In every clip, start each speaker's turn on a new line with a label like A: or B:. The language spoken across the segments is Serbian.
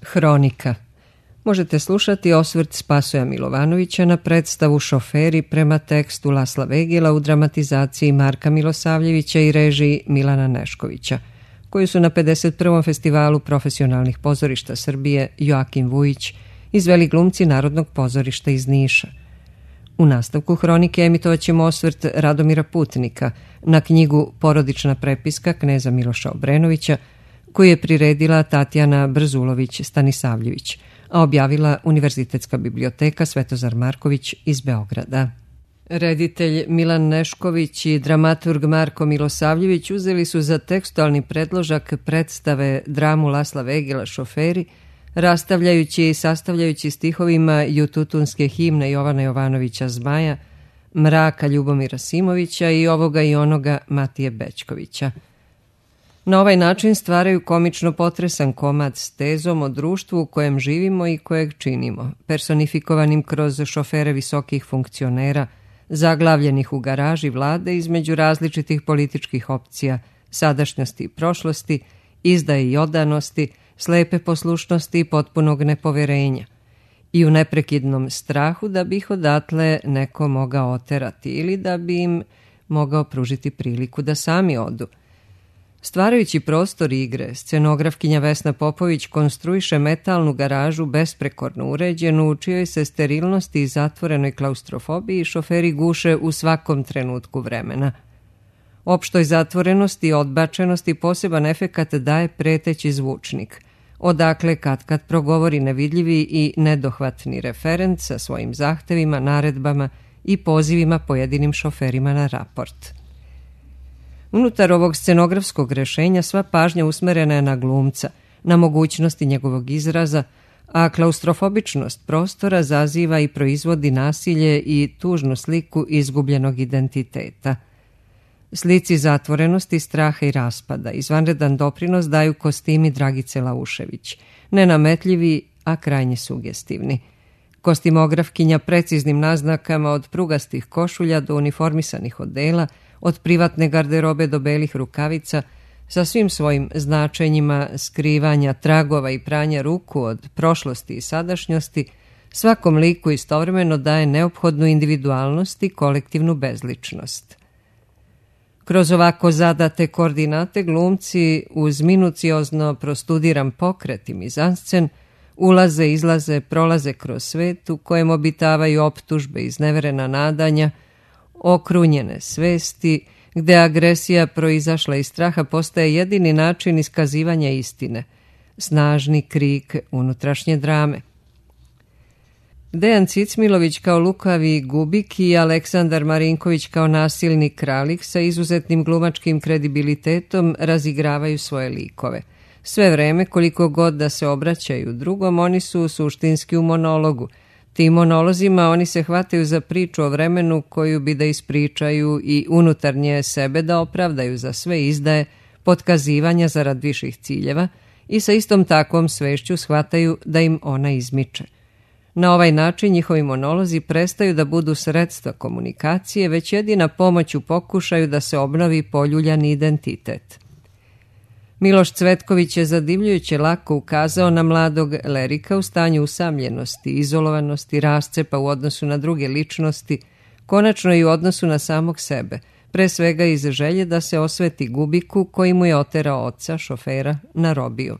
A: Hronika. Možete slušati osvrt Spasoja Milovanovića na predstavu Šoferi prema tekstu Lasla Vegila u dramatizaciji Marka Milosavljevića i režiji Milana Neškovića, koju su na 51. festivalu profesionalnih pozorišta Srbije Joakim Vujić izveli glumci Narodnog pozorišta iz Niša. U nastavku hronike emitovaćemo osvrt Radomira Putnika na knjigu Porodična prepiska kneza Miloša Obrenovića, koju je priredila Tatjana Brzulović-Stanisavljević, a objavila Univerzitetska biblioteka Svetozar Marković iz Beograda. Reditelj Milan Nešković i dramaturg Marko Milosavljević uzeli su za tekstualni predložak predstave dramu Lasla Vegila Šoferi, rastavljajući i sastavljajući stihovima jututunske himne Jovana Jovanovića Zmaja, Mraka Ljubomira Simovića i Ovoga i onoga Matije Bećkovića. Na ovaj način stvaraju komično potresan komad s tezom o društvu u kojem živimo i kojeg činimo, personifikovanim kroz šofere visokih funkcionera, zaglavljenih u garaži vlade između različitih političkih opcija, sadašnjosti i prošlosti, izdaje i odanosti, slepe poslušnosti i potpunog nepoverenja, i u neprekidnom strahu da bi ih odatle neko mogao oterati ili da bi im mogao pružiti priliku da sami odu. Stvarajući prostor igre, scenografkinja Vesna Popović konstruiše metalnu garažu besprekorno uređenu, u čijoj se sterilnosti i zatvorenoj klaustrofobiji šoferi guše u svakom trenutku vremena. Opštoj zatvorenosti i odbačenosti poseban efekat daje preteći zvučnik, odakle kad progovori nevidljivi i nedohvatni referent sa svojim zahtevima, naredbama i pozivima pojedinim šoferima na raport. Unutar ovog scenografskog rešenja sva pažnja usmerena je na glumca, na mogućnosti njegovog izraza, a klaustrofobičnost prostora zaziva i proizvodi nasilje i tužnu sliku izgubljenog identiteta. Slici zatvorenosti, straha i raspada izvanredan doprinos daju kostimi Dragice Laušević, nenametljivi, a krajnje sugestivni. Kostimografkinja preciznim naznakama od prugastih košulja do uniformisanih odela, od privatne garderobe do belih rukavica, sa svim svojim značenjima skrivanja tragova i pranja ruku od prošlosti i sadašnjosti, svakom liku istovremeno daje neophodnu individualnost i kolektivnu bezličnost. Kroz ovako zadate koordinate glumci uz minuciozno prostudiran pokret i mizanscen ulaze, izlaze, prolaze kroz svet u kojem obitavaju optužbe, izneverena nadanja, okrunjene svesti, gde agresija proizašla iz straha postaje jedini način iskazivanja istine, snažni krik unutrašnje drame. Dejan Cicmilović kao lukavi gubik i Aleksandar Marinković kao nasilni kralik sa izuzetnim glumačkim kredibilitetom razigravaju svoje likove. Sve vreme, koliko god da se obraćaju drugom, oni su suštinski u monologu. Tim monolozima oni se hvataju za priču o vremenu koju bi da ispričaju i unutarnje sebe da opravdaju za sve izdaje, potkazivanja zarad viših ciljeva i sa istom takvom svešću shvataju da im ona izmiče. Na ovaj način njihovi monolozi prestaju da budu sredstva komunikacije, već jedina pomoć u pokušaju da se obnovi poljuljani identitet. Miloš Cvetković je zadivljujuće lako ukazao na mladog Lerika u stanju usamljenosti, izolovanosti, rascepa u odnosu na druge ličnosti, konačno i u odnosu na samog sebe, pre svega iz želje da se osveti gubiku koji mu je oterao oca, šofera, na robiju.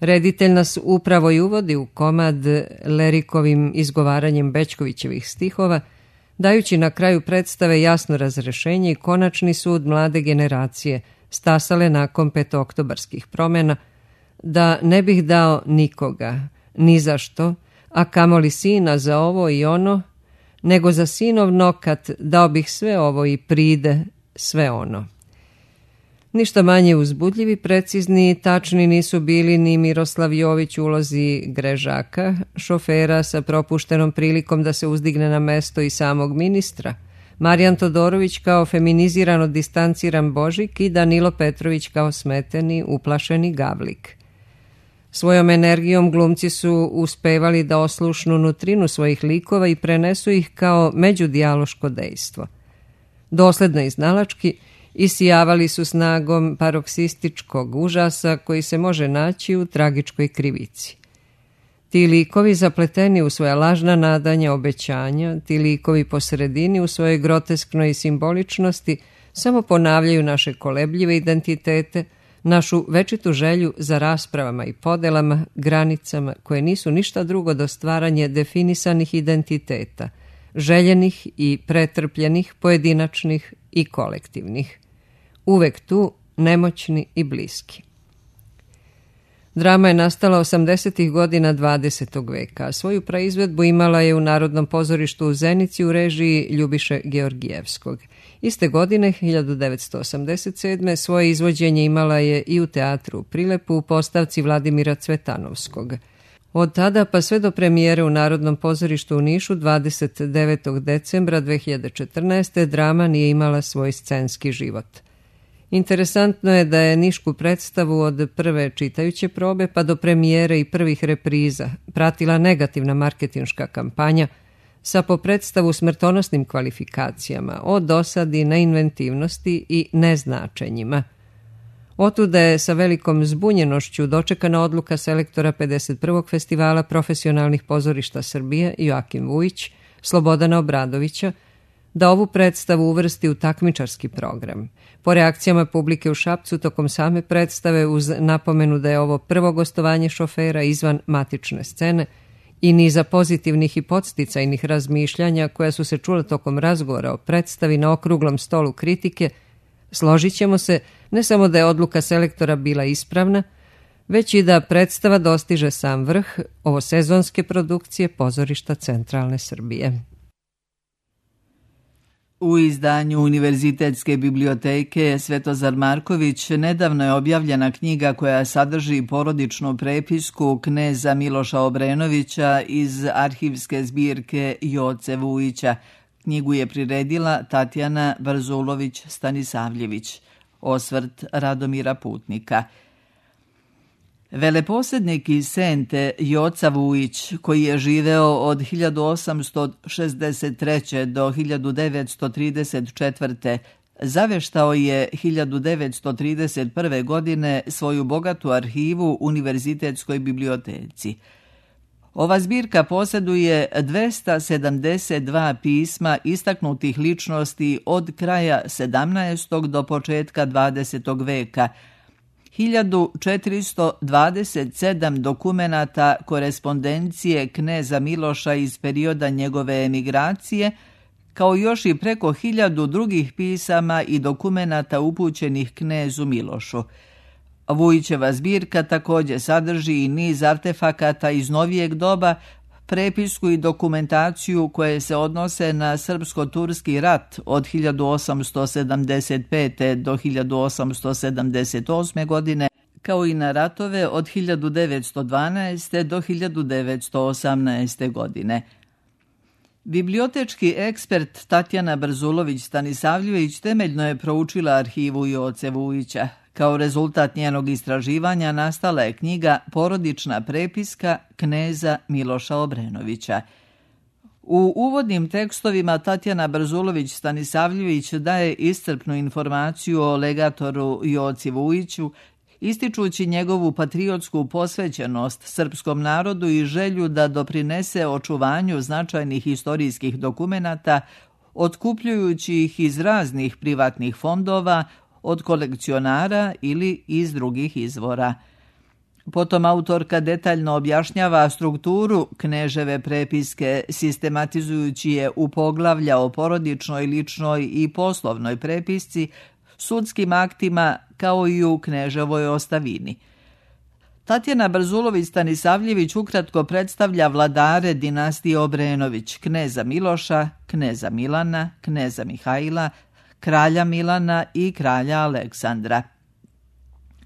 A: Reditelj nas upravo i uvodi u komad Lerikovim izgovaranjem Bećkovićevih stihova, dajući na kraju predstave jasno razrešenje i konačni sud mlade generacije, stasale nakon petooktobarskih promjena, da ne bih dao nikoga, ni za što, a kamoli sina za ovo i ono, nego za sinov nokat dao bih sve ovo i pride sve ono. Ništa manje uzbudljivi, precizni i tačni nisu bili ni Miroslav Jović u ulozi Grežaka, šofera sa propuštenom prilikom da se uzdigne na mesto i samog ministra, Marijan Todorović kao feminizirano distanciran Božik i Danilo Petrović kao smeteni, uplašeni Gavlik. Svojom energijom glumci su uspevali da oslušnu nutrinu svojih likova i prenesu ih kao međudijaloško dejstvo. Dosledno i znalački isijavali su snagom paroksističkog užasa koji se može naći u tragičkoj krivici. Ti likovi zapleteni u svoja lažna nadanja, obećanja, ti likovi po sredini u svojoj grotesknoj simboličnosti samo ponavljaju naše kolebljive identitete, našu večitu želju za raspravama i podelama, granicama koje nisu ništa drugo do stvaranje definisanih identiteta, željenih i pretrpljenih, pojedinačnih i kolektivnih. Uvek tu, nemoćni i bliski. Drama je nastala 80. godina 20. veka, a svoju praizvedbu imala je u Narodnom pozorištu u Zenici u režiji Ljubiše Georgijevskog. Iste godine, 1987. svoje izvođenje imala je i u teatru u Prilepu u postavci Vladimira Cvetanovskog. Od tada pa sve do premijere u Narodnom pozorištu u Nišu 29. decembra 2014. drama nije imala svoj scenski život. Interesantno je da je nišku predstavu od prve čitajuće probe pa do premijere i prvih repriza pratila negativna marketinška kampanja sa po predstavu smrtonosnim kvalifikacijama o dosadi, neinventivnosti i neznačenjima. Otuda je sa velikom zbunjenošću dočekana odluka selektora 51. festivala profesionalnih pozorišta Srbije Joakim Vujić, Slobodana Obradovića, da ovu predstavu uvrsti u takmičarski program. Po reakcijama publike u Šapcu tokom same predstave, uz napomenu da je ovo prvo gostovanje šofera izvan matične scene i niza pozitivnih i podsticajnih razmišljanja koja su se čula tokom razgovora o predstavi na okruglom stolu kritike, složit ćemo se ne samo da je odluka selektora bila ispravna, već i da predstava dostiže sam vrh ovosezonske produkcije pozorišta Centralne Srbije.
B: U izdanju Univerzitetske biblioteke Svetozar Marković nedavno je objavljena knjiga koja sadrži porodičnu prepisku kneza Miloša Obrenovića iz arhivske zbirke Joce Vujića. Knjigu je priredila Tatjana Brzulović-Stanisavljević. Osvrt Radomira Putnika. Veleposednik iz Sente Joca Vujić, koji je živeo od 1863. do 1934. zaveštao je 1931. godine svoju bogatu arhivu Univerzitetskoj biblioteci. Ova zbirka posjeduje 272 pisma istaknutih ličnosti od kraja 17. do početka 20. veka, 1427 dokumenata korespondencije kneza Miloša iz perioda njegove emigracije, kao još i preko 1000 drugih pisama i dokumenata upućenih knezu Milošu. Vujićeva zbirka također sadrži i niz artefakata iz novijeg doba, prepisku i dokumentaciju koje se odnose na srpsko-turski rat od 1875. do 1878. godine, kao i na ratove od 1912. do 1918. godine. Bibliotečki ekspert Tatjana Brzulović-Stanisavljević temeljno je proučila arhivu Joce Vujića. Kao rezultat njenog istraživanja nastala je knjiga Porodična prepiska kneza Miloša Obrenovića. U uvodnim tekstovima Tatjana Brzulović-Stanisavljević daje iscrpnu informaciju o legatoru Joci Vujiću, ističući njegovu patriotsku posvećenost srpskom narodu i želju da doprinese očuvanju značajnih historijskih dokumenata, otkupljujući ih iz raznih privatnih fondova, od kolekcionara ili iz drugih izvora. Potom autorka detaljno objašnjava strukturu kneževe prepiske, sistematizujući je u poglavlja o porodičnoj, ličnoj i poslovnoj prepisci, sudskim aktima, kao i u kneževoj ostavini. Tatjana Brzulović-Stanisavljević ukratko predstavlja vladare dinastije Obrenović, kneza Miloša, kneza Milana, kneza Mihajla, kralja Milana i kralja Aleksandra.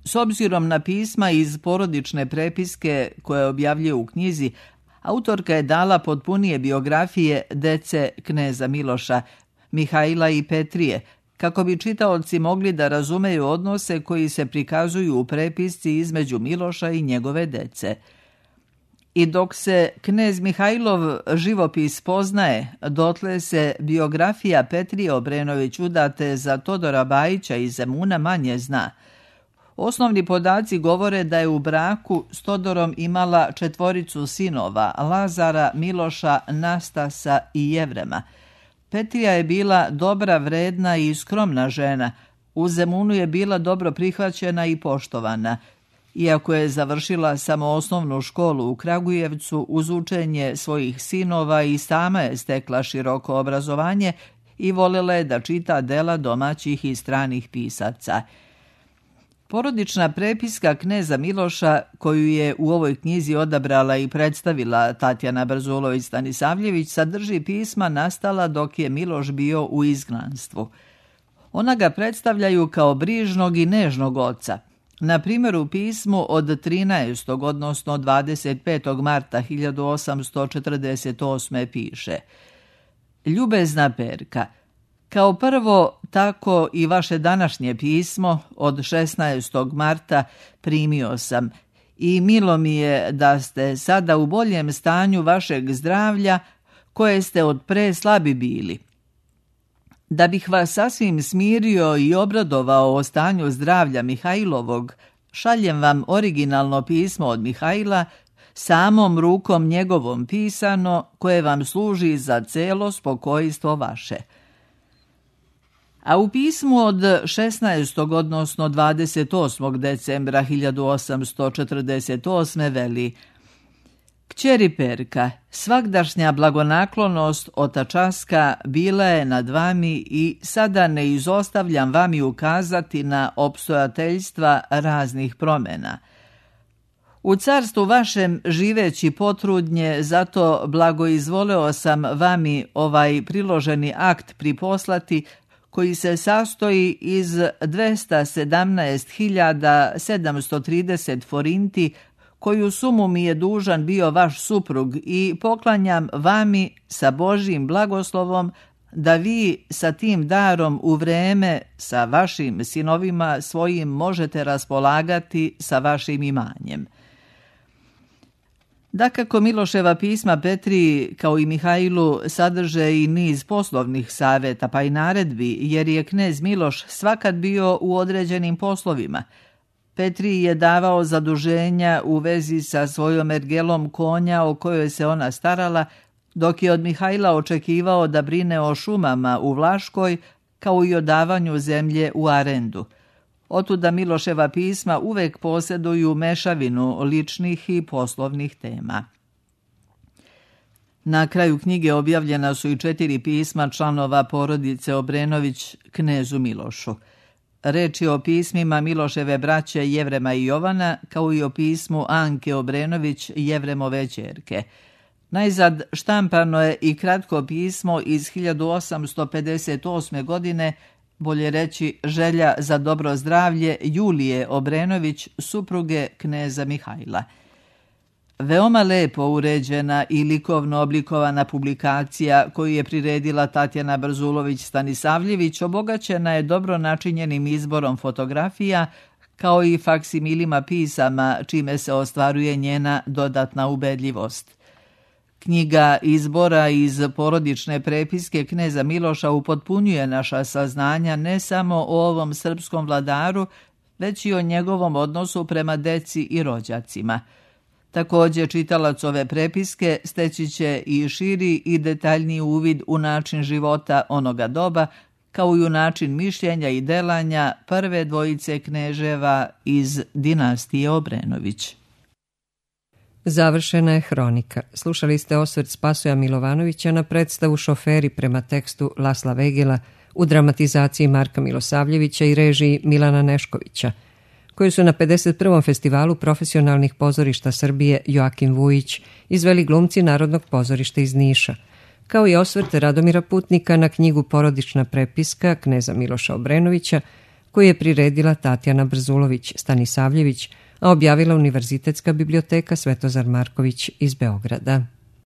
B: S obzirom na pisma iz porodične prepiske koje objavljuje u knjizi, autorka je dala potpunije biografije dece kneza Miloša, Mihajla i Petrije, kako bi čitaoci mogli da razumeju odnose koji se prikazuju u prepisci između Miloša i njegove dece. I dok se knez Mihajlov živopis poznaje, dotle se biografija Petrije Obrenović udate za Todora Bajića iz Zemuna manje zna. Osnovni podaci govore da je u braku s Todorom imala 4 sinova, Lazara, Miloša, Nastasa i Jevrema. Petrija je bila dobra, vredna i skromna žena. U Zemunu je bila dobro prihvaćena i poštovana. Iako je završila samo osnovnu školu u Kragujevcu, uz učenje svojih sinova i sama je stekla široko obrazovanje i voljela je da čita dela domaćih i stranih pisaca. Porodična prepiska kneza Miloša, koju je u ovoj knjizi odabrala i predstavila Tatjana Brzulović-Stanisavljević, sadrži pisma nastala dok je Miloš bio u izgnanstvu. Ona ga predstavljaju kao brižnog i nežnog oca. Na primjer, u pismu od 13. odnosno 25. marta 1848. piše: Ljubezna Perka, kao prvo, tako i vaše današnje pismo od 16. marta primio sam i milo mi je da ste sada u boljem stanju vašeg zdravlja koje ste od pre slabi bili. Da bih vas sasvim smirio i obradovao o stanju zdravlja Mihajlovog, šaljem vam originalno pismo od Mihajla, samom rukom njegovom pisano, koje vam služi za celo spokojstvo vaše. A u pismu od 16. odnosno 28. decembra 1848. veli: Kćeri Perka, svagdašnja blagonaklonost otačaska bila je nad vami i sada ne izostavljam vami ukazati na opstojateljstva raznih promjena. U carstvu vašem živeći potrudnje, zato blagoizvoleo sam vami ovaj priloženi akt priposlati, koji se sastoji iz 217.730 forinti, koju sumu mi je dužan bio vaš suprug, i poklanjam vami sa Božjim blagoslovom da vi sa tim darom u vreme sa vašim sinovima svojim možete raspolagati sa vašim imanjem. Dakako, Miloševa pisma Petriji, kao i Mihajlu, sadrže i niz poslovnih savjeta pa i naredbi, jer je knez Miloš svakad bio u određenim poslovima. Petriji je davao zaduženja u vezi sa svojom ergelom konja o kojoj se ona starala, dok je od Mihajla očekivao da brine o šumama u Vlaškoj, kao i o davanju zemlje u arendu. Otuda Miloševa pisma uvek posjeduju mešavinu ličnih i poslovnih tema. Na kraju knjige objavljena su i 4 pisma članova porodice Obrenović knezu Milošu. Reč je o pismima Miloševe braće Jevrema i Jovana, kao i o pismu Anke Obrenović, Jevremove ćerke. Najzad štampano je i kratko pismo iz 1858. godine, bolje reći želja za dobro zdravlje Julije Obrenović, supruge kneza Mihajla. Veoma lepo uređena i likovno oblikovana publikacija koju je priredila Tatjana Brzulović-Stanisavljević obogaćena je dobro načinjenim izborom fotografija, kao i faksimilima pisama, čime se ostvaruje njena dodatna ubedljivost. Knjiga izbora iz porodične prepiske kneza Miloša upotpunjuje naša saznanja ne samo o ovom srpskom vladaru, već i o njegovom odnosu prema deci i rođacima. Također, čitalac ove prepiske steći će i širi i detaljniji uvid u način života onoga doba, kao i u način mišljenja i delanja prve dvojice kneževa iz dinastije Obrenović.
A: Završena je hronika. Slušali ste osvrt Spasoja Milovanovića na predstavu Šoferi prema tekstu Lasla Vegela u dramatizaciji Marka Milosavljevića i režiji Milana Neškovića, koju su na 51. festivalu profesionalnih pozorišta Srbije Joakim Vujić izveli glumci Narodnog pozorišta iz Niša, kao i osvrt Radomira Putnika na knjigu Porodična prepiska kneza Miloša Obrenovića, koju je priredila Tatjana Brzulović-Stanisavljević, a objavila Univerzitetska biblioteka Svetozar Marković iz Beograda.